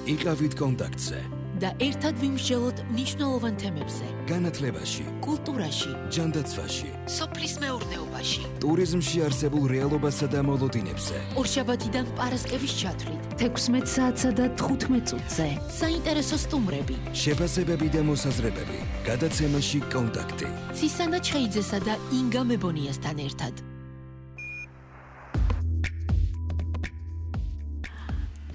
იყავით კონტაქტზე და ერთად ვიმსჯელოთ მნიშვნელოვან თემებზე. განათლებაში, კულტურაში, ჯანდაცვაში, სოფლის მეურნეობაში, ტურიზმში არსებულ რეალობასა და მოლოდინებზე. ორშაბათიდან პარასკევის ჩათვლით 16 საათსა და 15 წუთზე. საინტერესო სტუმრები, შეფასებები და მოსაზრებები. გადაცემაში კონტაქტი. ცისანა ჩხეიძესა და ინგა მებონიასთან ერთად.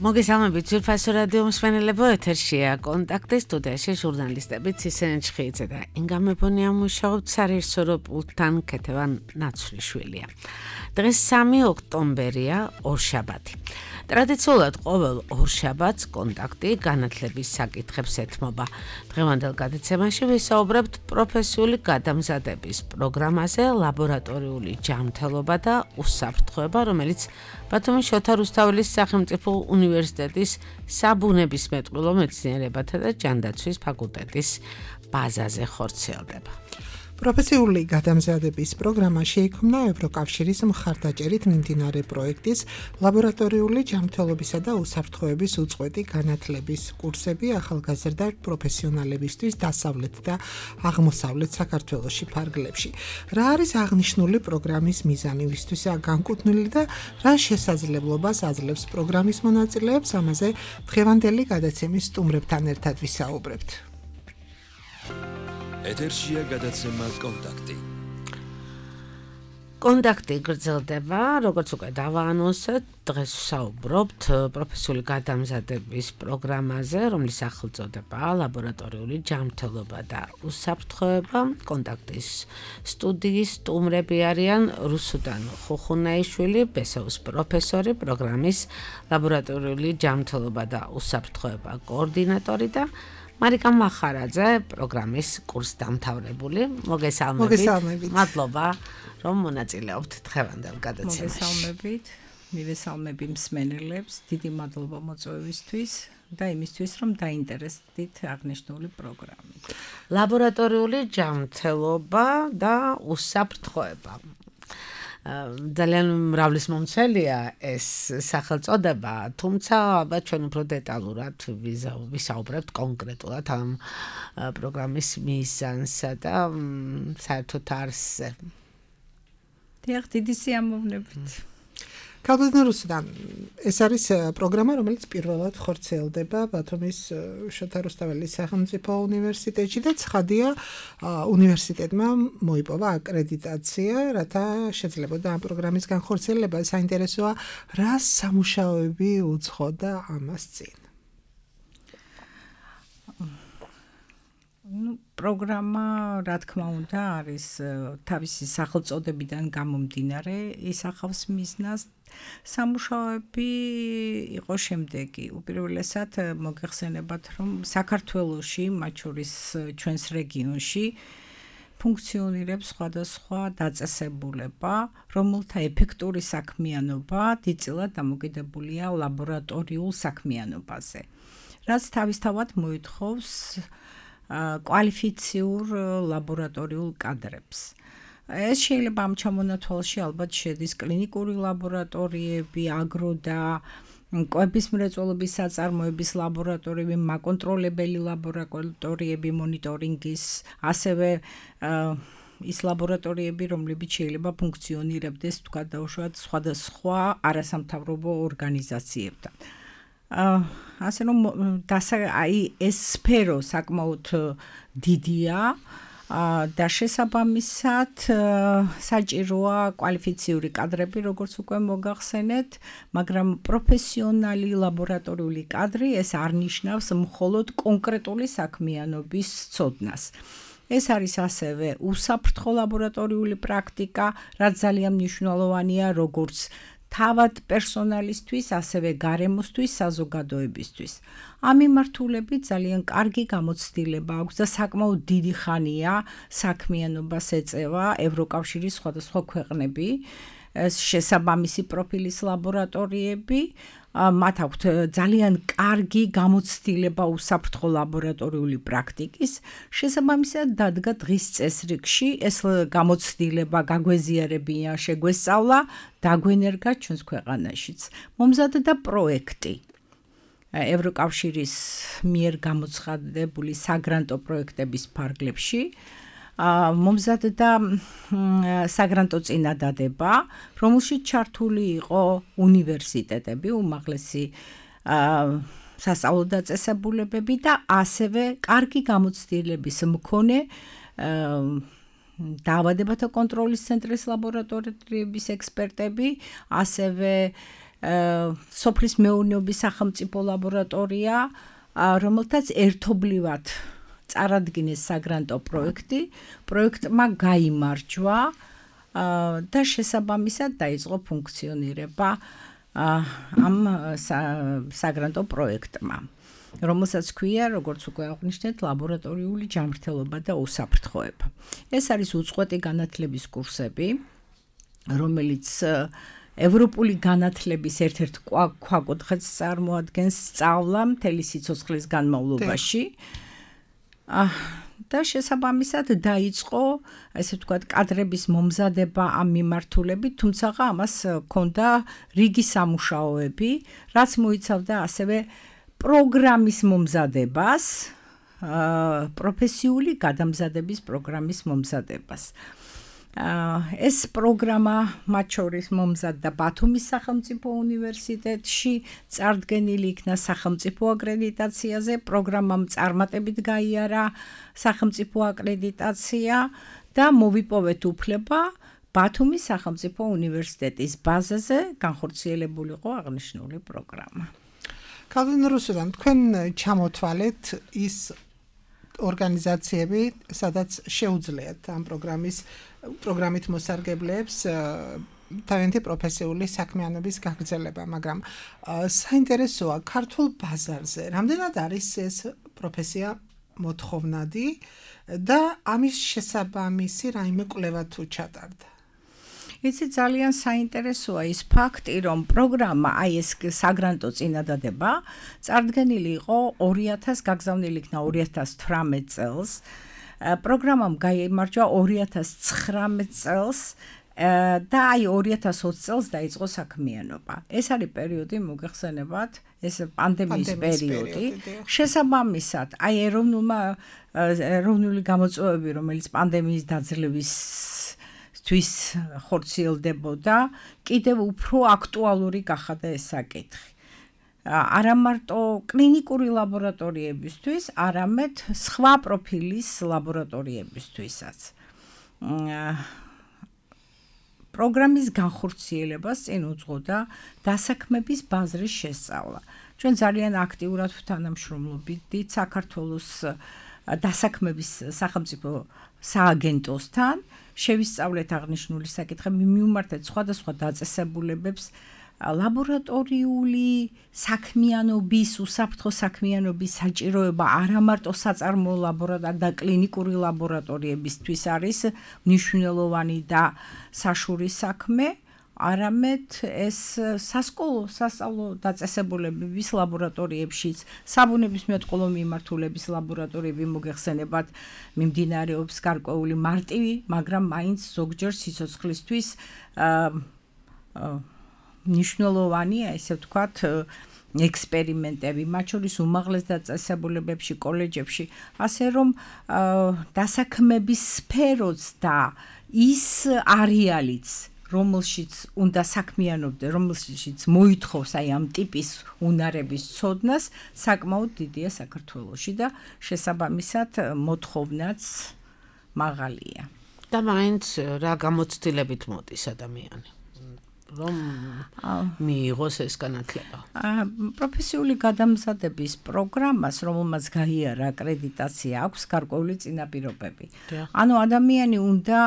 მოგესალმებით ძვირფასო რადიო მსმენელებო, ეთერშია კონტაქტი, სტუდიაში ჟურნალისტები ცისანა ჩხეიძე და ინგა მებონია მუშაობთ სარეჟისორო პულტთან ქეთევან ნაცვლიშვილია. დღეს 3 ოქტომბერია, ორშაბათი. ტრადიციულად ყოველ ორშაბათს კონტაქტი განათლების საკითხებს ეთმობა. დღევანდელ გადაცემაში ვისაუბრებთ პროფესიული გადამზადების პროგრამაზე, ლაბორატორიული ჯანმრთელობა და უსაფრთხოება, რომელიც ბათუმის შოთა რუსთაველის სახელმწიფო უნივერსიტეტის საბუნებისმეტყველო მეცნიერებათა და ჯანდაცვის ფაკულტეტის ბაზაზე ხორციელდება. პროფესიული გადამზადების პროგრამა შეიქმნა ევროკავშირის მხარდაჭერით მიმდინარე პროექტის ლაბორატორიული ჯანმრთელობისა და უსაფრთხოების უწყვეტი განათლების კურსები ახალგაზრდა პროფესიონალებისთვის დასავლეთ და აღმოსავლეთ საქართველოში ფარგლებში. რა არის აღნიშნული პროგრამის მიზანი, ვისთვისაა განკუთვნილი და რა შესაძლებლობას აძლევს პროგრამის მონაწილეებს, ამაზე დღევანდელი გადაცემის სტუმრებთან ერთად ვისაუბრებთ. ეთერშია გადაცემა კონტაქტი. კონტაქტი გრძელდება, როგორც უკვე დავაანონსეთ, დღეს ვსაუბრობთ პროფესიული გადამზადების პროგრამაზე, რომლის სახელწოდებაა ლაბორატორიული ჯანმრთელობა და უსაფრთხოება. კონტაქტის სტუდიის სტუმრები არიან რუსუდან ხუხუნაიშვილი, ბესოვის პროფესორი, პროგრამის ლაბორატორიული ჯანმრთელობა და უსაფრთხოება координаტორი და მარიკა მახარაძე, პროგრამის კურსდამთავრებული. მოგესალმებით. მადლობა, რომ მონაწილეობთ დღევანდელ გადაცემაში. მოგესალმებით. მივესალმები მსმენელებს, დიდი მადლობა მოწვევისთვის და იმისთვის, რომ დაინტერესდით აღნიშნული პროგრამით. ლაბორატორიული ჯანმრთელობა და უსაფრთხოება. ძალიან მრავლისმომცველია ეს სახელწოდება, თუმცა ალბათ ჩვენ უფრო დეტალურად ვისაუბრებთ კონკრეტულად ამ პროგრამის მიზანსა და საერთოდ არსზე. დიახ, დიდი სიამოვნებით. ქალბატონო რუსუდან, ეს არის პროგრამა, რომელიც პირველად ხორციელდება ბათუმის შოთა რუსთაველის სახელმწიფო უნივერსიტეტში და ცხადია, უნივერსიტეტმა მოიპოვა აკრედიტაცია, რათა შეძლებოდა ამ პროგრამის განხორციელება. საინტერესოა, რა სამუშაოები უძღოდა ამას წინ. პროგრამა, რა თქმა უნდა, არის თავისი სახელწოდებიდან გამომდინარე, ისახავს მიზნას. სამუშაოები იყო შემდეგი. უპირველესად მოგეხსენებათ, რომ საქართველოში, მათ შორის ჩვენს რეგიონში ფუნქციონირებს სხვადასხვა დაწესებულება, რომელთა ეფექტური საქმიანობა დიდწილად დამოკიდებულია ლაბორატორიულ საქმიანობაზე, რაც თავისთავად მოითხოვს კვალიფიციურ ლაბორატორიულ კადრებს. ეს შეიძლება ამ ჩამონათვალში ალბათ შედის კლინიკური ლაბორატორიები, აგრო და კვების მრეწველობის საწარმოების ლაბორატორიები, მაკონტროლებელი ლაბორატორიები, მონიტორინგის, ასევე ის ლაბორატორიები, რომლებიც შეიძლება ფუნქციონირებდეს თქვათ დაუშვათ სხვადასხვა არასამთავრობო ორგანიზაციებთან. ასე რომ ეს სფერო საკმაოდ დიდია და შესაბამისად საჭიროა კვალიფიციური კადრები, როგორც უკვე მოგახსენეთ, მაგრამ პროფესიონალი ლაბორატორიული კადრი ეს არ ნიშნავს მხოლოდ კონკრეტული საქმიანობის ცოდნას. ეს არის ასევე უსაფრთხო ლაბორატორიული პრაქტიკა, რაც ძალიან მნიშვნელოვანია როგორც თავად პერსონალისთვის, ასევე გარემოსთვის, საზოგადოებისთვის. ამ მიმართულებით ძალიან კარგი გამოცდილება აქვს და საკმაოდ დიდი ხანია საქმიანობას ეწევა ევროკავშირის სხვადასხვა ქვეყნები, შესაბამისი პროფილის ლაბორატორიები, მათ აქვთ ძალიან კარგი გამოცდილება უსაფრთხო ლაბორატორიული პრაქტიკის, შესაბამისად დადგა დღის წესრიგში ეს გამოცდილება გაგვეზიარებია, შეგვესწავლა, დაგვენერგა ჩვენს ქვეყანაშიც. მომზადდა პროექტი, ევროკავშირის მიერ გამოცხადებული საგრანტო პროექტების ფარგლებში მომზადდა საგრანტო წინადადება, რომელშიც ჩართული იყო უნივერსიტეტები, უმაღლესი სასწავლო დაწესებულებები და ასევე კარგი გამოცდილების მქონე დაავადებათა კონტროლის ცენტრის ლაბორატორიების ექსპერტები, ასევე სოფლის მეურნეობის სახელმწიფო ლაბორატორია, რომელთაც ერთობლივად წარადგინეს საგრანტო პროექტმა გაიმარჯვა და შესაბამისად დაიწყო ფუნქციონირება ამ საგრანტო პროექტმა, რომელსაც ქვია, როგორც უკვე აღვნიშნეთ, ლაბორატორიული ჯანმრთელობა და უსაფრთხოება. ეს არის უწყვეტი განათლების კურსები, რომელიც ევროპული განათლების ერთ-ერთ ქვაკუთხედს წარმოადგენს სწავლა მთელი სიცოცხლის განმავლობაში. და შესაბამისად დაიწყო, ესე ვთქვათ, კადრების მომზადება ამ მიმართულებით, თუმცა ამას ჰქონდა რიგი სამუშაოები, რაც მოიცავდა ასევე პროგრამის მომზადებას, პროფესიული გადამზადების პროგრამის მომზადებას. ეს პროგრამა მათ შორის მომზადდა ბათუმის სახელმწიფო უნივერსიტეტში, წარდგენილი იქნა სახელმწიფო აკრედიტაციაზე, პროგრამამ წარმატებით გაიარა სახელმწიფო აკრედიტაცია და მოვიპოვეთ უფლება ბათუმის სახელმწიფო უნივერსიტეტის ბაზაზე განხორციელებულიყო აღნიშნული პროგრამა. კალვინ რუსუდან, თქვენ ჩამოთვალეთ ის ორგანიზაციები, სადაც შეუძლიათ ამ პროგრამით მოსარგებლეებს თავიანთი პროფესიული საქმიანობის გაგრძელება, მაგრამ საინტერესოა ქართულ ბაზარზე რამდენად არის ეს პროფესია მოთხოვნადი და ამის შესაბამისი რაიმე კვლევა თუ ჩატარდა. იცი ძალიან საინტერესოა ის ფაქტი, რომ პროგრამა, აი ეს საგრანტო წინადადება, წარდგენილი იყო 2000, გაგზავნილი იქნა 2018 წელს. პროგრამამ გაიმარჯვა 2019 წელს და აი 2020 წელს დაიწყო საქმიანობა. ეს არის პერიოდი, მოგეხსენებათ, ეს პანდემიის პერიოდი. შესაბამისად, აი ეროვნული გამოწვევები, რომელიც პანდემიის დაძლევის თვის ხორციელდებოდა, კიდევ უფრო აქტუალური გახადა ეს საკითხი. არა მარტო კლინიკური ლაბორატორიებისთვის, არამედ სხვა პროფილის ლაბორატორიებისთვისაც. პროგრამის განხორციელებას წინ უძღოდა დასაქმების ბაზრის შესწავლა. ჩვენ ძალიან აქტიურად ვთანამშრომლობდით საქართველოს დასაქმების სახელმწიფო სააგენტოსთან, შევისწავლეთ აღნიშნული საკითხები, მივმართეთ სხვადასხვა დაწესებულებებს ლაბორატორიული საქმიანობის, უსაფრთხო საქმიანობის საჭიროება არა მარტო საწარმოო ლაბორატორია და კლინიკური ლაბორატორიებისთვის არის მნიშვნელოვანი და საშურის საქმე, არამედ ეს სასწავლო დაწესებულებების ლაბორატორიებშიც, საბუნებისმეტყველო მიმართულების ლაბორატორიები მოგეხსენებათ, მიმდინარეობს გარკვეული მარტივი, მაგრამ მაინც ზოგჯერ სიცოცხლისთვის მნიშვნელოვანი, ესე ვთქვათ, ექსპერიმენტები, მათ შორის უმაღლეს დაწესებულებებში, კოლეჯებში, ასე რომ დასაქმების სფეროც და ის არეალიც, რომელშიც უნდა საქმიანობდე, რომელშიც მოითხოვს აი ამ ტიპის უნარების ცოდნას, საკმაოდ დიდია საქართველოში და შესაბამისად მოთხოვნაც მაღალია. და მაინც რა გამოცდილებით მოდის ადამიანი? რომ მიიღოს ეს განათლება. პროფესიული გადამზადების პროგრამას, რომელმაც გაიარა აკრედიტაცია, აქვს გარკვეული წინაპირობები. ანუ ადამიანი უნდა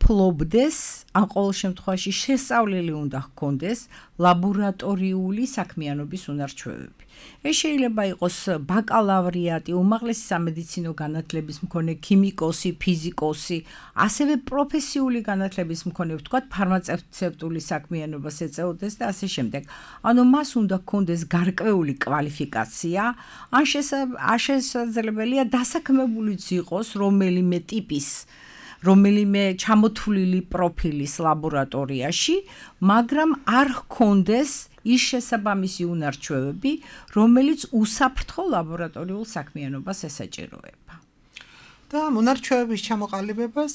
ფლობდეს, ან ყოველ შემთხვევაში შესწავლილი უნდა ჰქონდეს ლაბორატორიული საქმიანობის უნარჩვევები. ეს შეიძლება იყოს ბაკალავრიატი, უმაღლესი სამედიცინო განათლების მქონე ქიმიკოსი, ფიზიკოსი, ასევე პროფესიული განათლების მქონე, ვთქვათ, ფარმაცევტული საქმიანობას ეწეოდეს და ასე შემდეგ. ანუ მას უნდა ჰქონდეს გარკვეული კვალიფიკაცია, ან შესაძლებელია დასაქმებულიც იყოს რომელიმე ტიპის რომელიმე ჩამოთვლილი პროფილის ლაბორატორიაში, მაგრამ არ ჰქონდეს ის შესაბამისი უნარჩვევები, რომელიც უსაფრთხო ლაბორატორიულ საქმიანობას ესაჭიროება. და მონარჩევების ჩამოყალიბებას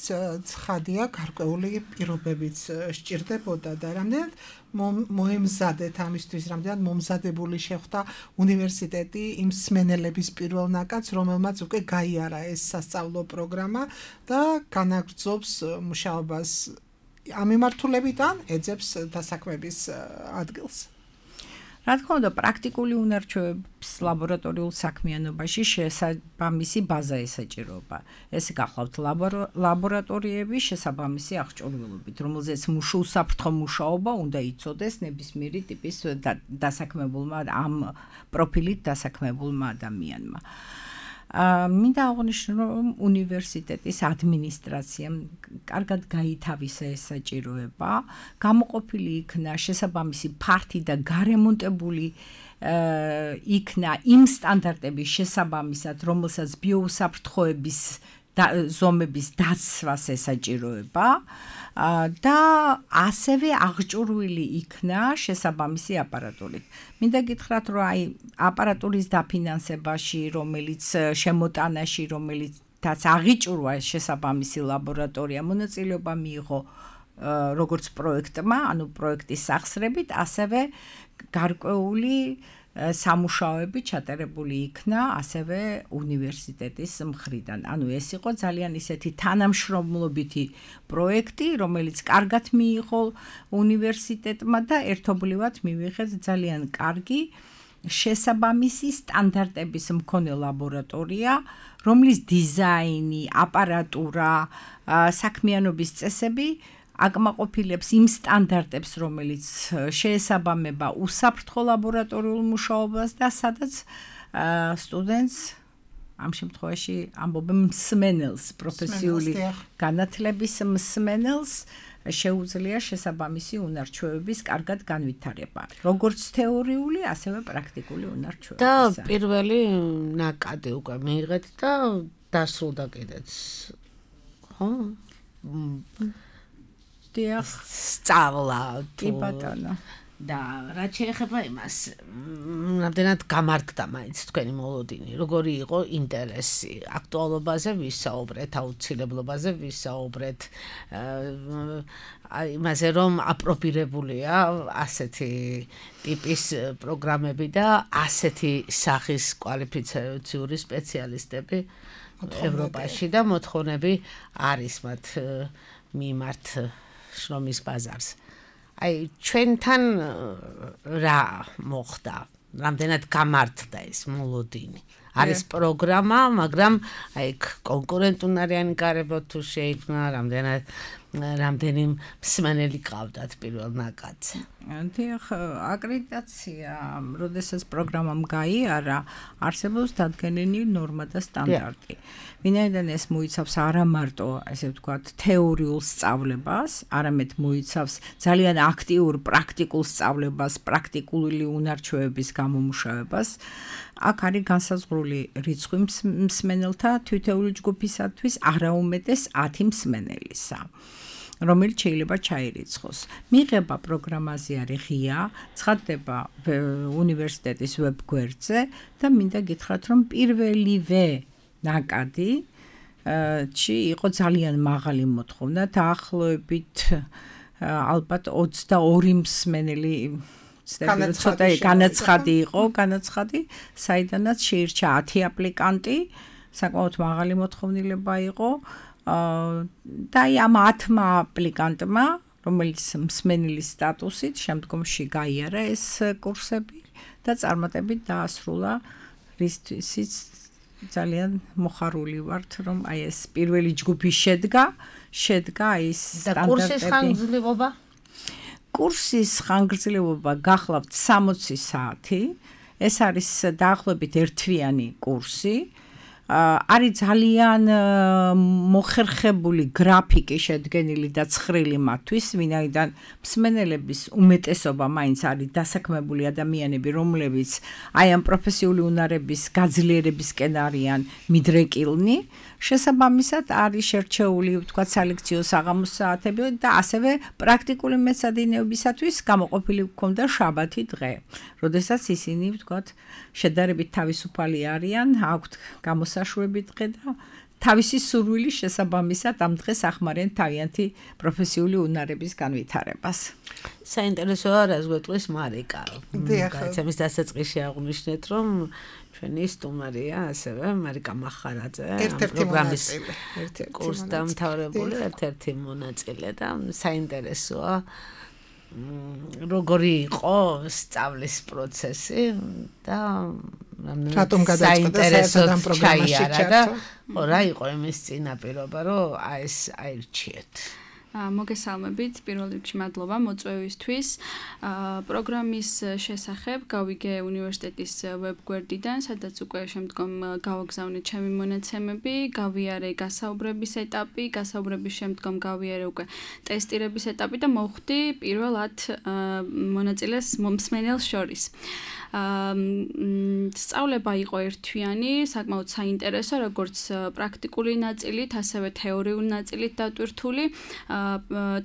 ცხადია გარკვეული პირობებიც სჭირდებოდა და რამდენად მოემზადეთ ამისთვის, რამდენად მომზადებული შეხვდა უნივერსიტეტი იმ მსმენელების პირველ ნაკადს, რომელმაც უკვე გაიარა ეს სასწავლო პროგრამა და განაგრძობს მუშაობას ამ მიმართულებით ან ეძებს დასაქმების ადგილს. რა თქმა უნდა, პრაქტიკული უნარჩვევების ლაბორატორიულ საქმიანობაში შესაბამისი ბაზა ესაჭიროება. ეს გახლავთ ლაბორატორიები შესაბამისი აღჭურვილობით, რომელზეც უსაფრთხო მუშაობა უნდა იცოდეს ნებისმიერი ტიპის დასაქმებულმა ამ პროფილით დასაქმებულმა ადამიანმა. მინდა აღვნიშნო, რომ უნივერსიტეტის ადმინისტრაციამ კარგად გაითავისა ეს საჭიროება, გამოყოფილი იქნა შესაბამისი ფართი და გარემონტებული იქნა იმ სტანდარტების შესაბამისად, რომელსაც ბიოუსაფრთხოების ზომების დაცვას ესაჭიროება და ასევე აღჭურვილი იქნა შესაბამისი აპარატურით. მინდა გითხრათ, რომ აი აპარატურის დაფინანსებაში, რომელიც შემოტანაში, რომელიცაც აღიჭურვა შესაბამისი ლაბორატორია, მონაწილეობა მიიღო როგორც პროექტმა, ანუ პროექტის სახსრებით, ასევე გარკვეული სამუშაოები ჩატარებული იქნა ასევე უნივერსიტეტის მხრიდან. ანუ ეს იყო ძალიან ისეთი თანამშრომლობითი პროექტი, რომელიც კარგად მიიღო უნივერსიტეტმა და ერთობლივად მივიღეთ ძალიან კარგი შესაბამისი სტანდარტების მქონე ლაბორატორია, რომლის დიზაინი, აპარატურა, საქმიანობის წესები აკმაყოფილებს იმ სტანდარტებს, რომელიც შეესაბამება უსაფრთხო ლაბორატორიულ მუშაობას და სადაც სტუდენტს ამ შემთხვევაში ამბობენ მსმენელს, პროფესიული განათლების მსმენელს შეუძლია შესაბამისი უნარჩვევების კარგად განვითარება, როგორც თეორიული, ასევე პრაქტიკული უნარჩვევები. და პირველი ნაკადი უკვე მიიღეთ და დასრულდა კიდეც. ხო? სწავლა კი ბატონო. და რაც შეეხება იმას, რამდენად გამარგდა მაინც თქვენი მოლოდინი, როგორი იყო ინტერესი, აქტუალობაზე ვისაუბრეთ, აუცილებლობაზე ვისაუბრეთ, იმაზე რომ აპრობირებულია ასეთი ტიპის პროგრამები და ასეთი სახის კვალიფიციური სპეციალისტები ევროპაში და მოთხოვნები არის მათ მიმართ შრომის ბაზარს. აი ჩვენთან რა მოხდა? რამდენად გამართდა ეს მოლოდინი? არის პროგრამა, მაგრამ აი კონკურენტუნარიანი გარემო თუ შეიქმნა, რამდენი მსმენელი ყავდათ პირველ ნაკადზე? დიახ, აკრედიტაცია, როდესაც პროგრამამ გაიარა, არსებობს დადგენილი ნორმა და სტანდარტი. ვინაიდან ეს მოიცავს არა მარტო, ესე ვთქვათ, თეორიულ სწავლებას, არამედ მოიცავს ძალიან აქტიურ პრაქტიკულ სწავლებას, პრაქტიკული უნარჩვევების გამომუშავებას, აქ არის განსაზღვრული რიცხვი მსმენელთა თითოეული ჯგუფისათვის არაუმეტეს 10 მსმენელისა, რომელიც შეიძლება ჩაირიცხოს. მიღება პროგრამაზე არის ღია, ცხადდება უნივერსიტეტის ვებგვერდზე და მინდა გითხრათ, რომ პირველივე ნაკადი იყო ძალიან მაღალი მოთხოვნა, დაახლოებით ალბათ 22 მსმენელი ცოტა განაცხადი იყო, საიდანაც შეირჩა 10 აპლიკანტი, საკმაოდ მაღალი მოთხოვნილება იყო და ამ 10 აპლიკანტმა, რომელიც მსმენელის სტატუსით შემდგომში გაიარა ეს კურსები და წარმატებით დაასრულა, რისთვისაც ძალიან მოხარული ვართ, რომ აი ეს პირველი ჯგუფი შედგა ის სტანდარტები. კურსის ხანგრძლივობა? კურსის ხანგრძლივობა გახლავთ 60 საათი. ეს არის დაახლოებით ერთთვიანი კურსი. არის ძალიან მოხერხებული გრაფიკი შედგენილი და ცხრილი მათთვის, ვინაიდან მსმენელების უმეტესობა მაინც არის დასაქმებული ადამიანები, რომლებიც აი ამ პროფესიული უნარების გაძლიერებისკენ არიან მიდრეკილნი. შესაბამისად არის შერჩეული ვთქვათ სალექციო საღამოს საათები და ასევე პრაქტიკული მეცადინეობისათვის გამოყოფილი გქონდა შაბათი დღე, როდესაც ისინი ვთქვათ შედარებით თავისუფალი არიან, აქვთ გამოსაშვები დღე და თავისი სურვილის შესაბამისად ამ დღეს ახმარენ თავიანთი პროფესიული უნარების განვითარებას. საინტერესოა რას გვეტყვის მარიკა. გაიცემის დასაწყისში აღვნიშნეთ, რომ ჩვენი სტუმარია ასევე მარიკა მახარაძე, პროგრამის კურსდამთავრებული ერთ-ერთი მონაწილე და საინტერესოა როგორი იყო სწავლის პროცესი და რატომ გადაწყვეტა საერთოდ ამ პროგრამაში ჩართო? რა იყო იმის წინაპირობა, რომ ეს აირჩიეთ? მოგესალმებით, პირველ რიგში მადლობა მოწვევისთვის. პროგრამის შესახებ გავიგე უნივერსიტეტის ვებგვერდიდან, სადაც უკვე შემდგომ გავაგზავნე ჩემი მონაცემები, გავიარე გასაუბრების ეტაპი, გასაუბრების შემდგომ გავიარე უკვე ტესტირების ეტაპი და მოვხვდი პირველ 10 მონაწილეს მსმენელს შორის. სწავლება იყო ერთთვიანი, საკმაოდ საინტერესო, როგორც პრაქტიკული ნაწილით, ასევე თეორიული ნაწილით დატვირთული.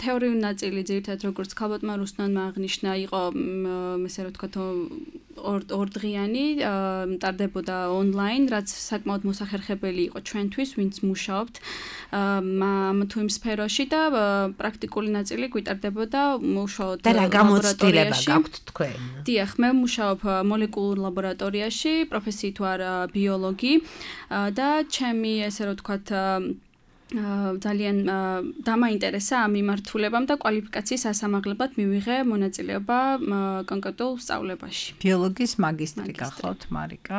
თეორიული ნაწილი ძირითადად როგორც ქალბატონმა რუსნანმა აღნიშნა, იყო ესე რომ ვთქვათ ორდღიანი, ტარდებოდა ონლაინ, რაც საკმაოდ მოსახერხებელი იყო ჩვენთვის, ვინც მუშაობთ ამ თუ იმ სფეროში და პრაქტიკული ნაწილი გვიტარდებოდა მუშაობთ და რა გამოცდილება გაქვთ თქვენ? დიახ, მე მუშაობ მოლეკულურ ლაბორატორიაში, პროფესიით ვარ ბიოლოგი და ჩემი ესე რომ ვთქვათ ძალიან დამაინტერესა ამ მიმართულებამ და კვალიფიკაციის ასამაღლებლად მივიღე მონაწილეობა კონკრეტულ სწავლებაში. ბიოლოგიის მაგისტრი გახლავთ მარიკა.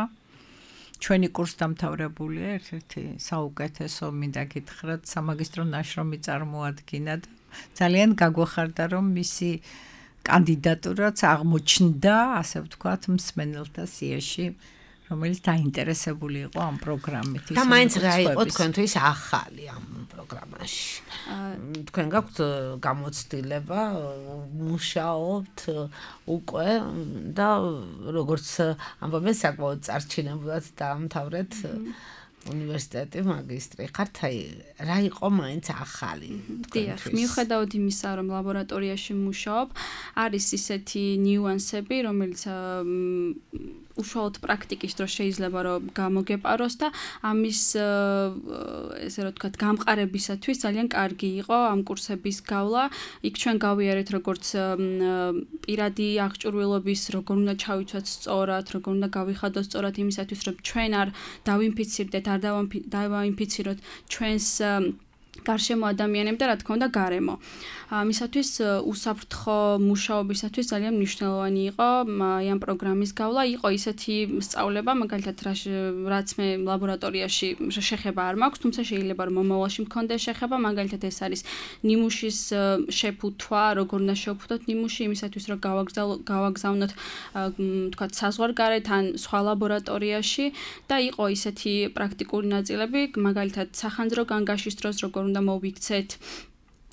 ჩვენი კურსდამთავრებულია, ერთ-ერთი საუკეთესო მინდა გითხრათ სამაგისტრო ნაშრომი წარმოადგინა და ძალიან გაგვეხარდა რომ მისი კანდიდატურაც აღმოჩნდა, ასე ვთქვათ, მსმენელთა სიაში, რომელიც დაინტერესებული იყო ამ პროგრამით. და მაინც რა იყო თქვენთვის ახალი ამ პროგრამაში? თქვენ გაქვთ გამოცდილება, მუშაობთ უკვე და როგორც ამბობენ საკმაოდ წარჩინებულად დაამთავრეთ უნივერსიტეტი მაგისტრი ხართ, აი რა იყო მაინც ახალი დიახ, მიუხედავად იმისა, რომ ლაბორატორიაში მუშაობ, არის ისეთი ნიუანსები, რომელიც უშუალოდ პრაქტიკის დროს შეიძლება რომ გამოგეპაროს და ამის ესე რომ ვთქვათ გამყარებისათვის ძალიან კარგი იყო ამ კურსების გავლა. იქ ჩვენ გავიარეთ როგორც პირადი აღჭურვილობის, როგორ უნდა ჩავიცვათ სწორად, როგორ უნდა გავიხადოთ სწორად იმისათვის, რომ ჩვენ არ დავინფიცირდეთ, არ დავაინფიციროთ ჩვენს გარშემო ადამიანები და რა თქმა უნდა გარემო. ამისათვის უსაფრთხო მუშაობისათვის ძალიან მნიშვნელოვანი იყო ამ პროგრამის გავლა. იყო ისეთი სწავლება, მაგალითად რაც მე ლაბორატორიაში შეხება არ მაქვს, თუმცა შეიძლება რომ მომავალში მქონდეს შეხება, მაგალითად ეს არის ნიმუშის შეფუთვა, როგორ უნდა შევფუთოთ ნიმუში, იმისათვის რომ გავაგზავნოთ თქვათ საზღვარგარეთ ან სხვა ლაბორატორიაში და იყო ისეთი პრაქტიკული ნაწილები, მაგალითად სახანძრო განგაშის დროს როგორ უნდა მოვიქცეთ,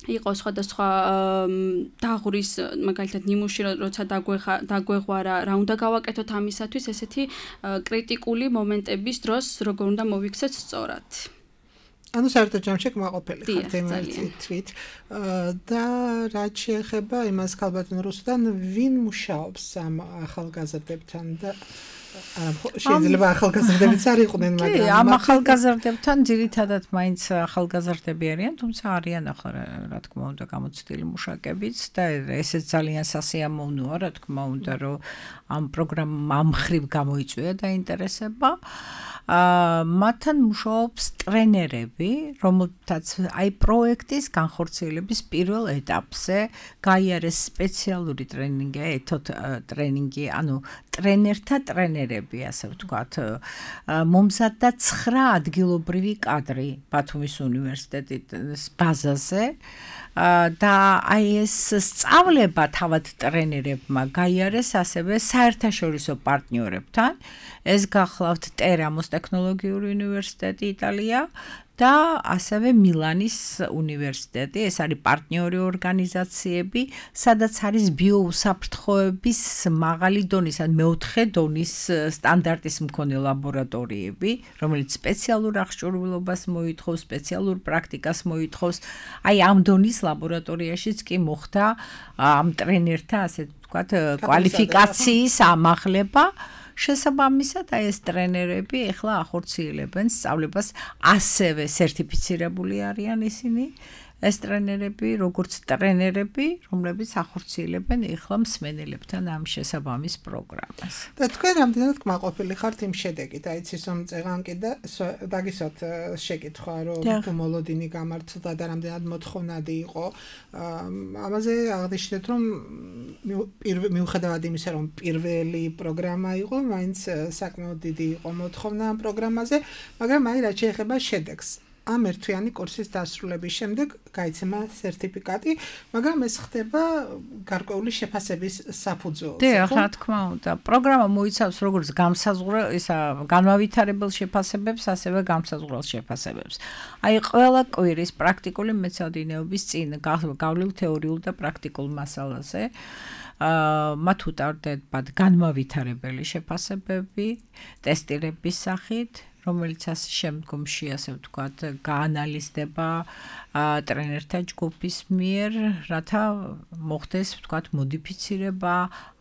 იყო სხვადასხვა დაღურის მაგალითად ნიმუში როცა დაგვეღვარა, რა უნდა გავაკეთოთ ამისათვის, ესეთი კრიტიკული მომენტების დროს როგორ უნდა მოვიქცეთ სწორად. ანუ საერთოდ ჯამში კმაყოფილი ხართ იმაზე თვით და რაც შეეხება იმას ქალბატონ რუსთან, ვინ მუშაობს ამ ახალგაზრდებთან და შეიძლება ახალგაზრდებიც არ იყვნენ, მაგრამ ამ ახალგაზრდებთან ძირითადად მაინც ახალგაზრდები არიან, თუმცა არიან ახლა რა თქმა უნდა გამოცდილი მუშაკებიც და ესეც ძალიან სასიამოვნოა, რა თქმა უნდა, რომ ამ პროგრამამ ამ ხრივ გამოიწვია დაინტერესება. მათთან მუშაობს ტრენერები, რომელთაც აი პროექტის განხორციელების პირველ ეტაპზე გაიარეს სპეციალური ტრენინგი, ეთოთ ტრენინგი, ანუ ტრენერთა ტრენერები, ასე ვთქვათ. მომზადდა 9 ადგილობრივი კადრი ბათუმის უნივერსიტეტის ბაზაზე. და აი ეს სწავლება თავად ტრენერებმა გაიარეს ასევე საერთაშორისო პარტნიორებთან. ეს გახლავთ ტერამოს ტექნოლოგიური უნივერსიტეტი იტალია და ასევე მილანის უნივერსიტეტი. ეს არის პარტნიორი ორგანიზაციები, სადაც არის ბიოუსაფრთხოების მაღალი დონის, ან მეოთხე დონის სტანდარტის მქონე ლაბორატორიები, რომელიც სპეციალურ აღჭურვილობას მოითხოვს, სპეციალურ პრაქტიკას მოითხოვს. აი ამ დონის ლაბორატორიაშიც კი მოხდა ამ ტრენერთა, ასე ვთქვათ, კვალიფიკაციის ამაღლება. შესაბამისად, აი ეს ტრენერები ეხლა ახორციელებენ სწავლებას, ასევე სერტიფიცირებული არიან ისინი. ეს ტრენერები, როგორც ტრენერები, რომლებიც ახორციელებენ ეხლა მსმენელებთან ამ შესაბამის პროგრამას. და თქვენ რამდენად კმაყოფილი ხართ იმ შედეგით? აიცის რომ წეღან კიდე დაგისვათ შეკითხვა, რომ თუ მოლოდინი გამართლდა და რამდენად მოთხოვნადი იყო. ამაზე აღნიშნეთ, რომ მიუხედავად იმისა, რომ პირველი პროგრამა იყო, მაინც საკმაოდ დიდი იყო მოთხოვნა ამ პროგრამაზე, მაგრამ აი რაც შეეხება შედეგს. ამ ერთვიანი კურსის დასრულების შემდეგ გაიცემა სერტიფიკატი, მაგრამ ეს ხდება გარკვეული შეფასების საფუძველზე. რა თქმა უნდა, პროგრამა მოიცავს როგორც განმავითარებელ შეფასებებს, ასევე გამსაზღვრელ შეფასებებს. აი ყველა კვირის პრაქტიკული მეცადინეობის წინ გავლილ თეორიულ და პრაქტიკულ მასალაზე. მათ უტარდებათ განმავითარებელი შეფასებები, ტესტირების სახით, რომელიც შემდგომში, ასე ვთქვათ, გაანალიზდება ტრენერთა ჯგუფის მიერ, რათა მოხდეს, ვთქვათ, მოდიფიცირება,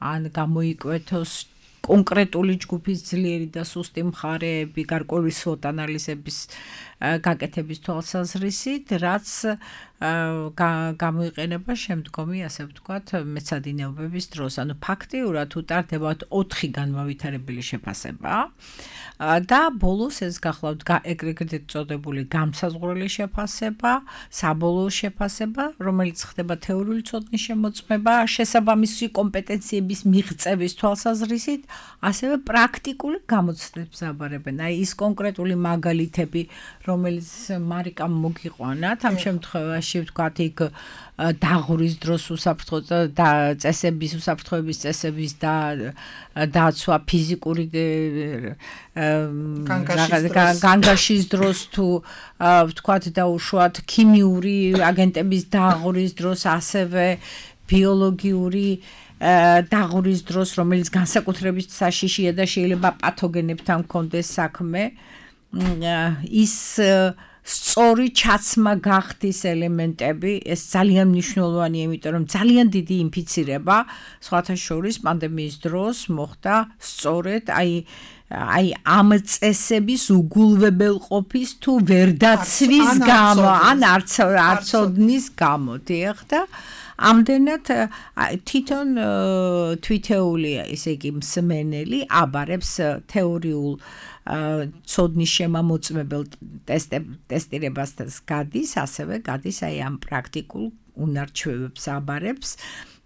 ან გამოიკვეთოს კონკრეტული ჯგუფის ძლიერი და სუსტი მხარეები, გარკვეული SWOT ანალიზების გაკეთების თვალსაზრისით, რაც გამოიყენება შემდგომი, ასე ვთქვათ, მეცადინეობების დროს. ანუ ფაქტიურად უტარდებათ 4 განმავითარებელი შეფასება. და ბოლოს ეს გახლავთ ეგრეთ წოდებული გამსაზღვრელი შეფასება, საბოლოო შეფასება, რომელიც ხდება თეორიული ცოდნის შემოწმება, შესაბამისი კომპეტენციების მიღწევის თვალსაზრისით, ასევე პრაქტიკული გამოცდებს აბარებენ. აი ის კონკრეტული მაგალითები, რომელიც მარიკამ მოგიყვანათ, ამ შემთხვევაში ვთქვათ, იქ დაღურის დროს წესების უსაფრთხოების წესების დაცვა, ფიზიკური განგაშის დროს თუ ვთქვათ დაუშვათ ქიმიური აგენტების დაღურის დროს, ასევე ბიოლოგიური დაღურის დროს, რომელიც განსაკუთრებით საშიშია და შეიძლება პათოგენებთან მქონდეს საქმე, ის სწორი ჩაცმა გახდის ელემენტები, ეს ძალიან მნიშვნელოვანია, იმიტომ რომ ძალიან დიდი ინფიცირება, სხვათა შორის პანდემიის დროს მოხდა სწორედ აი ამ წესების უგულვებელყოფის თუ ვერდაცვის გამო, ან არცოდნის გამო, დიახ და ამდენად თვითონ თვითეული, ესე იგი მსმენელი აბარებს თეორიულ ცოდნის შემამოწმებელ ტესტირებას გადის, ასევე გადის აი ამ პრაქტიკულ უნარჩვევებს აბარებს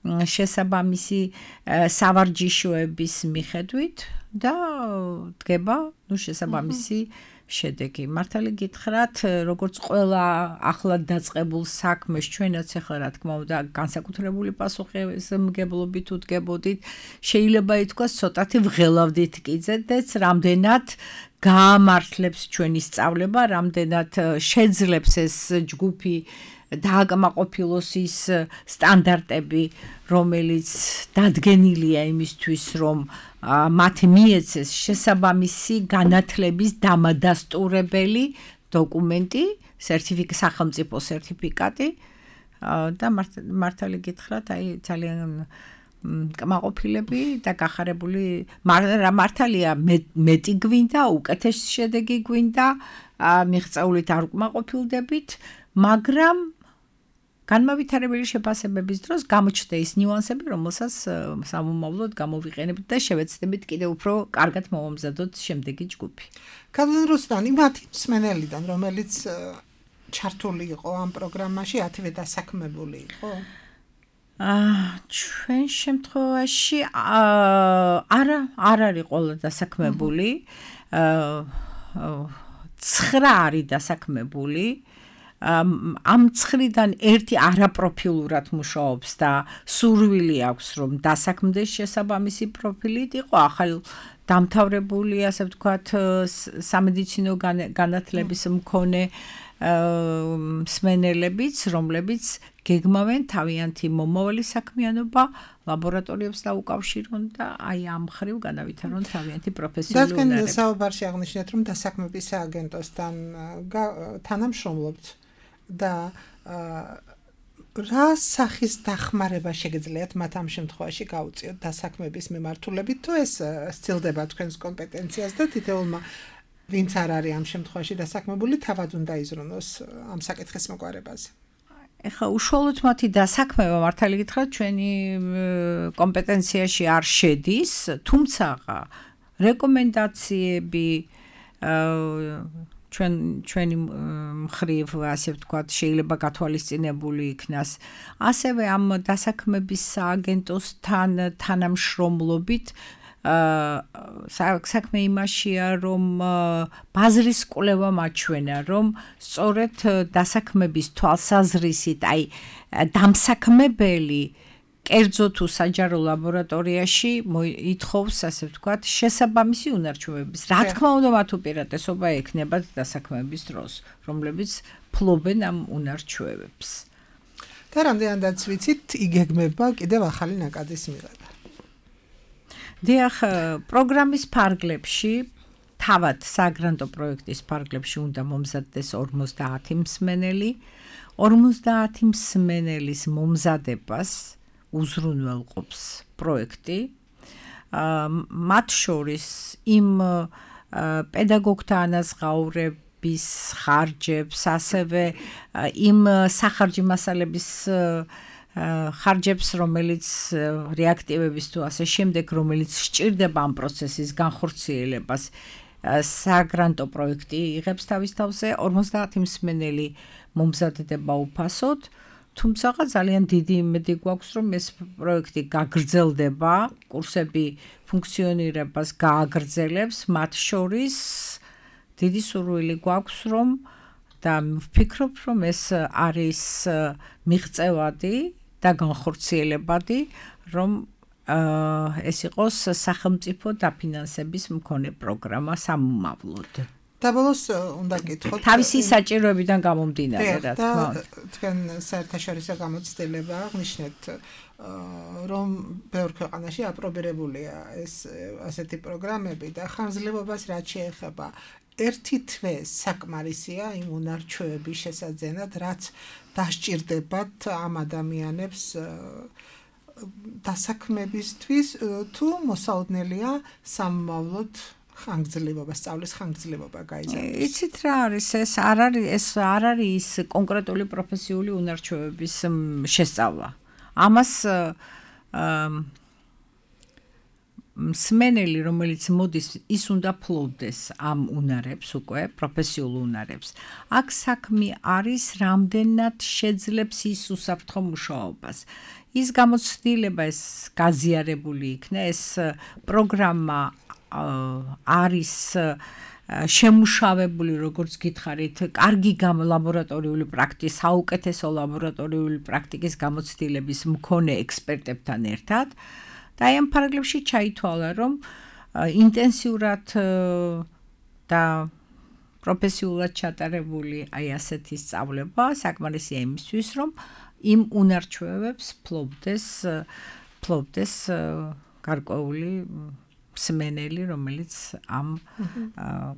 შესაბამისი სავარჯიშოების მიხედვით და დგება შესაბამისი შედეგი. მართალი გითხრათ, როგორც ყველა ახლად დაწყებულ საქმეს, ჩვენაც ახლა რა თქმა უნდა განსაკუთრებული პასუხისმგებლობით უდგებოდით, შეიძლება ითქვას ცოტათი ვღელავდით კიდეც, რამდენად გაამართლებს ჩვენი სწავლება, რამდენად შეძლებს ეს ჯგუფი დააკმაყოფილოს ის სტანდარტები, რომელიც დადგენილია იმისთვის, რომ მათ მიეცეს შესაბამისი განათლების დამადასტურებელი დოკუმენტი, სახელმწიფო სერტიფიკატი და მართალი გითხრათ, აი ძალიან კმაყოფილები და გახარებული მართალია მეტი გვინდა, უკეთესი შედეგი გვინდა, მიღწეულით არ უკმაყოფილდებით, მაგრამ განმავითარებელი შეფასებების დროს გამოჩნდა ის ნიუანსები, რომელსაც სამომავლოდ გამოვიყენებთ და შევეცდებით კიდევ უფრო კარგად მოვამზადოთ შემდეგი ჯგუფი. კალვინ რუსტანი, მათი მსმენელიდან, რომელიც ჩართული იყო ამ პროგრამაში, 10-ვე დასაქმებული იყო? ჩვენ შემთხვევაში არ არის ყველა დასაქმებული. 9 არის დასაქმებული. ამ 9-დან ერთი არაპროფილურად მუშაობს და სურვილი აქვს რომ დასაქმდეს შესაბამისი პროფილით იყო ახალ დამთავრებული ასე ვთქვათ სამედიცინო განათლების მქონე მსმენელებიც რომლებიც გეგმავენ თავიანთი მომავალი საქმიანობა ლაბორატორიებს დაუკავშირონ და აი ამ ხრივ განავითარონ თავიანთი პროფესიული უნარები. და საუბარში აღნიშნეთ რომ დასაქმების სააგენტოსთან თანამშრომლობთ და რა სახის დახმარება შეგიძლიათ მათ ამ შემთხვევაში გაუწიოთ დასაქმების მიმართულებით თუ ეს სცილდება თქვენს კომპეტენციას და თითოეულმა ვინც არ არის ამ შემთხვევაში დასაქმებული თავად უნდა იზრუნოს ამ საკითხის მოგვარებაზე. ეხლა უშუალოდ მათი დასაქმება მართალი გითხრათ ჩვენი კომპეტენციაში არ შედის, თუმცა რეკომენდაციები ჩვენი მხრივ ასე ვთქვათ შეიძლება გათვალისწინებული იქნას. ასევე ამ დასაქმების სააგენტოსთან თანამშრომლობით საქმე იმაშია რომ ბაზრის კვლევა მაჩვენა რომ სწორედ დასაქმების თვალსაზრისით აი დამსაქმებელი კერძო თუ საჯარო ლაბორატორიაში ითხოვს ასე ვთქვათ შესაბამისი უნარჩვევების. რა თქმა უნდა მათ უპირატესობა ექნებათ დასაქმების დროს, რომლებიც ფლობენ ამ უნარჩვევებს. და რამდენადაც ვიცით, იგეგმება კიდევ ახალი ნაკადის მიღება. დიახ, პროგრამის ფარგლებში თავად საგრანტო პროექტის ფარგლებში უნდა მომზადდეს 50 მსმენელი. 50 მსმენელის მომზადებას უზრუნველყოფს პროექტი. მათ შორის იმ პედაგოგთა ანაზღაურების ხარჯებს, ასევე იმ სახარჯი მასალების ხარჯებს, რომელიც რეაქტივების თუ ასე შემდეგ, რომელიც სჭირდება ამ პროცესის განხორციელებას, საგრანტო პროექტი იღებს თავის თავზე 50 მსმენელი მომზადდება უფასოდ. თუმცა ძალიან დიდი იმედი გვაქვს, რომ ეს პროექტი გაგრძელდება, კურსები ფუნქციონირებას გააგრძელებს, მათ შორის დიდი სურვილი გვაქვს, რომ და ვფიქრობ, რომ ეს არის მიღწევადი და განხორციელებადი, რომ ეს იყოს სახელმწიფო დაფინანსების მქონე პროგრამა სამომავლოდ. და ბოლოს უნდა გითხოთ თავისი საჭიროებიდან გამომდინარე, რა თქმა უნდა. თქვენ საერთაშორისო გამოცდილება აღნიშნეთ, რომ ბევრ ქვეყანაში აპრობირებულია ეს ასეთი პროგრამები და ხანგრძლივობას რაც შეეხება ერთი თვე საკმარისია იმ უნარჩვევების შესაძენად, რაც დასჭირდებათ ამ ადამიანებს დასაქმებისთვის, თუ მოსაოდნელია სამომავლოდ ხანგრძლივობა, სწავლის ხანგრძლივობა გაიზარდოს. იცით რა არის ეს? არ არის კონკრეტული პროფესიული უნარჩვევების შესწავლა. ამას მსმენელი, რომელიც მოდის, ის უნდა ფლობდეს ამ უნარებს უკვე, პროფესიულ უნარებს. აქ საქმე არის, რამდენად შეძლებს ის უსაფრთხო მუშაობას. ის გამოცდილება ეს გაზიარებული იქნა, ეს პროგრამა არის შემუშავებული, როგორც გითხარით, კარგი ლაბორატორიული პრაქტიკის, საუკეთესო ლაბორატორიული პრაქტიკის გამოცდილების მქონე ექსპერტებთან ერთად. და აი ამ ფარგლებში ჩაითვალა, რომ ინტენსიურად და პროფესიულად ჩატარებული აი ასეთი სწავლება საკმარისია იმისთვის, რომ იმ უნარჩვევებს ფლობდეს გარკვეული მსმენელი, რომელიც ამ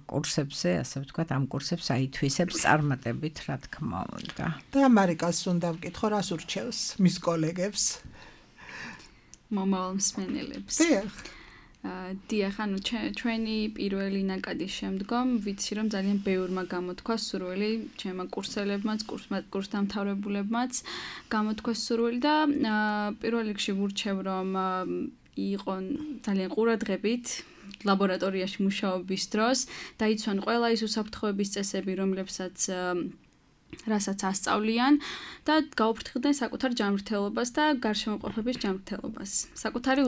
კურსებზე, ასე ვთქვათ, ამ კურსებს აითვისებს წარმატებით, რა თქმა უნდა. და მარიკას უნდა ვკითხო, რას ურჩევს მის კოლეგებს? მომავალ მსმენელებს. დიახ, ანუ ჩვენი პირველი ნაკადის შემდგომ ვიცი, რომ ძალიან ბევრმა გამოთქვა სურვილი, ჩემმა კურსელებმაც, კურსდამთავრებულებმაც გამოთქვა სურვილი და პირველ რიგში ვურჩევ, რომ იყო ძალიან ყურადღებით ლაბორატორიაში მუშაობის დროს, დაიცვან ყველა ის უსაფრთხოების წესები, რომლებსაც რასაც ასწავლიან და გაუფრთხილდნენ საკუთარ ჯანმრთელობას და გარშემოყოფების ჯანმრთელობას. საკუთარი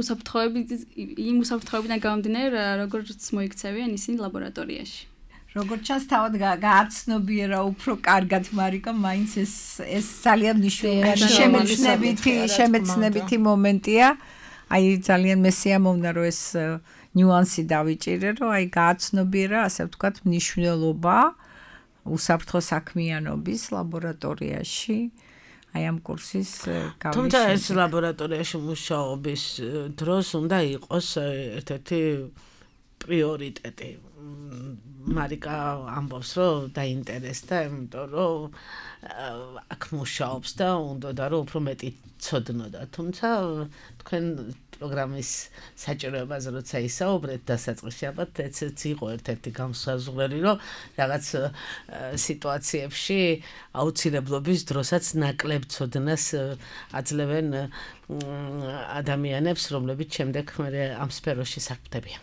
იმ უსაფრთხოებიდან გამომდინარე, როგორც მოიქცევიან ისინი ლაბორატორიაში. როგორც ჩანს, თავად გააცნობიერა უფრო კარგად, მარიკა, მაინც ეს ძალიან მნიშვნელოვანი შემეცნებითი მომენტია. აი ძალიან მესიამოვნა, რომ ეს ნიუანსი დავიჭირე, რომ აი გააცნობიერა, ასე ვთქვათ, მნიშვნელობა უსაფრთხო საქმიანობის ლაბორატორიაში. აი ამ კურსის გავიშვა. თუმცა ეს ლაბორატორიაში მუშაობის დროს უნდა იყოს ერთ-ერთი პრიორიტეტი. მარიკა ამბობს, რომ დაინტერესდა, იმიტომ რომ აქ მუშაობს და უნდა რომ უფრო მეტი ცოდნოდა. თუმცა თქვენ პროგრამის საჭიროებაზე როცა ისაუბრეთ დასაწყისში, ალბათ ეცეც იყო ერთ-ერთი გამოსაზღვრელი, რომ რაღაც სიტუაციებში აუცილებლობის დროსაც ნაკლებ ცოდნას აძლევენ ადამიანებს, რომლებიც შემდეგ ამ სფეროში საქმდებიან.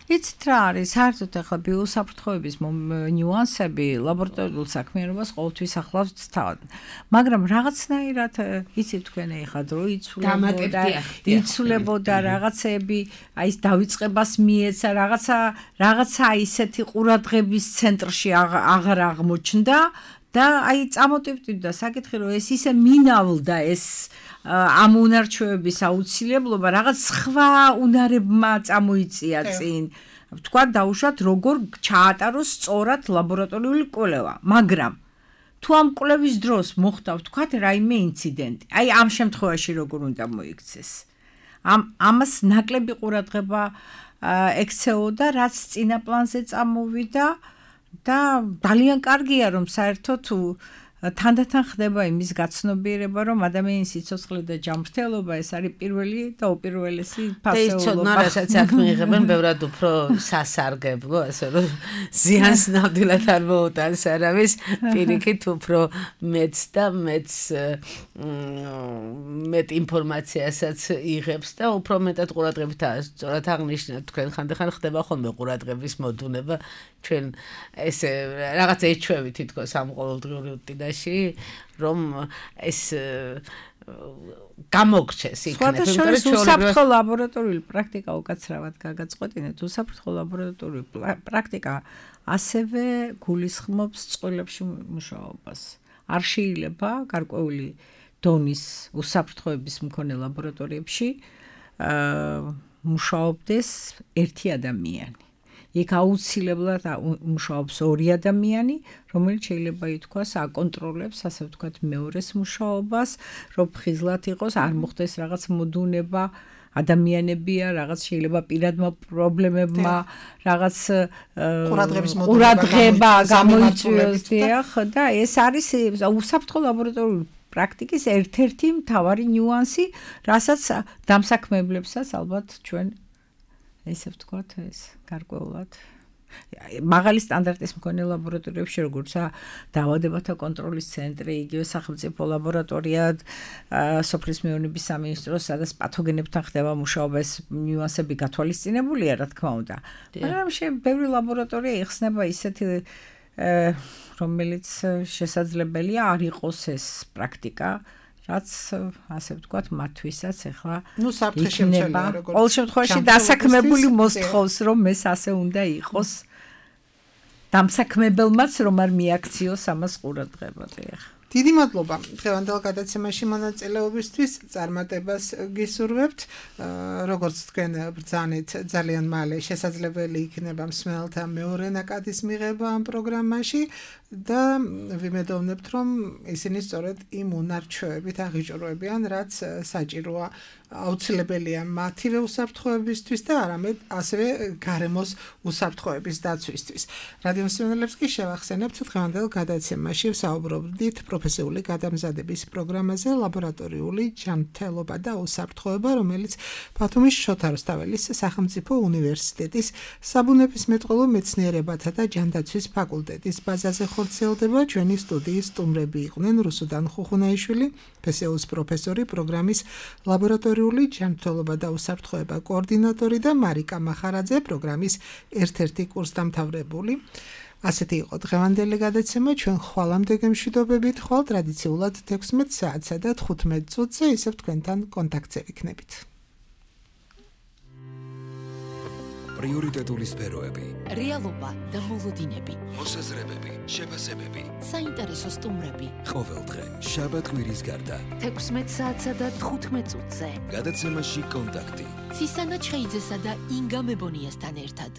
იცით რა არის, საერთოდ ახლა ბიოსაფრთხოების ნიუანსები ლაბორატორიულ საქმიანობას ყოველთვის ახლავს თავად. მაგრამ რაღაცნაირად იცით თქვენ ახლა დრო იცვლებოდა რაღაცები, აი ეს დავიწყებას მიეცა, რაღაცა ისეთი ყურადღების ცენტრში აღარ აღმოჩნდა და აი წამოტივტივდა საკითხი, რომ ეს ისე მინავლდა ეს ამ უნარჩვევების აუცილებლობა რაღაც სხვა უნარებმა წამოიწია წინ. თქვა დაუშვათ როგორ ჩაატაროს სწორად ლაბორატორიული კვლევა, მაგრამ თუ ამ კვლევის დროს მოხდა ვთქვათ რაიმე ინციდენტი, აი ამ შემთხვევაში როგორ უნდა მოიქცეს. ამას ნაკლები ყურადღება ექცეოდა, რაც წინა პლანზე წამოვიდა და ძალიან კარგია რომ საერთოდ თანდათან ხდება იმის გაცნობიერება, რომ ადამიანის სიცოცხლე და ჯანმრთელობა ეს არის პირველი და უპირველესი ფასეულობა. რასაც აქ მიიღებენ ბევრად უფრო სასარგებლო, ასე რომ ზიანს ნამდვილად არ მოუტანს არავის, პირიქით უფრო მეც და მეც მეტ ინფორმაციასაც იღებს და უფრო მეტად ყურადღებით სწორად აღნიშნეთ თქვენ ხანდახან ხდება ხოლმე ყურადღების მოდუნება ჩვენ ესე რაღაც ეჩვევი თითქოს ამ ყოველდღიური რუტინაში რომ ეს გამოგჩეს იქნება. უსაფრთხო ლაბორატორიული პრაქტიკა უკაცრავად გაგაწყვეტინეთ. უსაფრთხო ლაბორატორიული პრაქტიკა ასევე გულისხმობს წყვილებში მუშაობას. არ შეიძლება გარკვეული დონის უსაფრთხოების მქონე ლაბორატორიებში მუშაობდეს ერთი ადამიანი. იქ აუცილებლად მუშაობს ორი ადამიანი, რომელიც შეიძლება ითქვას აკონტროლებს, ასე ვთქვათ, მეორეს მუშაობას, რომ ფხიზლად იყოს, არ მოხდეს რაღაც მოდუნება, ადამიანებია, რაღაც შეიძლება პირადმა პრობლემებმა, რაღაც ყურადღება გამოიწვიოს და ეს არის უსაფრთხო ლაბორატორიული პრაქტიკის ერთ-ერთი მთავარი ნიუანსი, რასაც დამსაქმებლებსაც ალბათ ჩვენ ესე ვთქვათ, ეს გარკვეულად მაღალი სტანდარტის მქონე ლაბორატორიებში, როგორცაა დაავადებათა კონტროლის ცენტრი, იგივე სახელმწიფო ლაბორატორია, სოფლის მეურნეობის სამინისტრო, სადაც პათოგენებთან ხდება მუშაობა, ეს ნიუანსები გათვალისწინებულია, რა თქმა უნდა. მაგრამ ბევრი ლაბორატორია იხსნება ისეთი, რომელიც შესაძლებელია არ იყოს ეს პრაქტიკა. რაც ასე ვთქვათ, მათთვისაც ახლა იქნება. ყოველ შემთხვევაში დასაქმებული მოსთხოვს, რომ ეს ასე უნდა იყოს. დამსაქმებელმაც რომ არ მიაქციოს ამას ყურადღება. დიდი მადლობა დღევანდელ გადაცემაში მონაწილეობისთვის, წარმატებას გისურვებთ. როგორც თქვენ ბრძანეთ, ძალიან მალე შესაძლებელი იქნება მსმენელთა მეორე ნაკადის მიღება ამ პროგრამაში და ვიმედოვნებთ, რომ ისინი სწორედ იმ უნარჩვევებით აღიჭრუებიან, რაც საჭიროა აუცილებელია მათივე უსაფრთხოებისთვის და არამედ ასევე გარემოს უსაფრთხოების დაცვისთვის. რადიო მსმენელებს კი შევახსენებთ დღევანდელ გადაცემაში ვსაუბრობდით პროფესიული გადამზადების პროგრამაზე ლაბორატორიული ჯანმრთელობა და უსაფრთხოება, რომელიც ბათუმის შოთა რუსთაველის სახელმწიფო უნივერსიტეტის საბუნებისმეტყველო მეცნიერებათა და ჯანდაცვის ფაკულტეტის ბაზაზე ხორციელდება. ჩვენი სტუდიის სტუმრები იყვნენ რუსუდან ხუხუნაიშვილი, ფსეუს პროფესორი, პროგრამის ლაბორატორიული ჯანმრთელობა და უსაფრთხოება კოორდინატორი და მარიკა მახარაძე, პროგრამის ერთ-ერთი კურსდამთავრებული. ასეთი იყო დღევანდელი გადაცემა, ჩვენ ხვალამდე გემშვიდობებით, ხვალ ტრადიციულად 16 საათსა და 15 წუთზე ისევ თქვენთან კონტაქტზე ვიქნებით. პრიორიტეტული სფეროები, რეალობა და მოლოდინები, მოსაზრებები, შეფასებები, საინტერესო სტუმრები. ყოველდღე, შაბათ-კვირის გარდა. 16 საათსა და 15 წუთზე. გადაცემაში კონტაქტი. ცისანა ჩხეიძესა და ინგა მებონიასთან ერთად.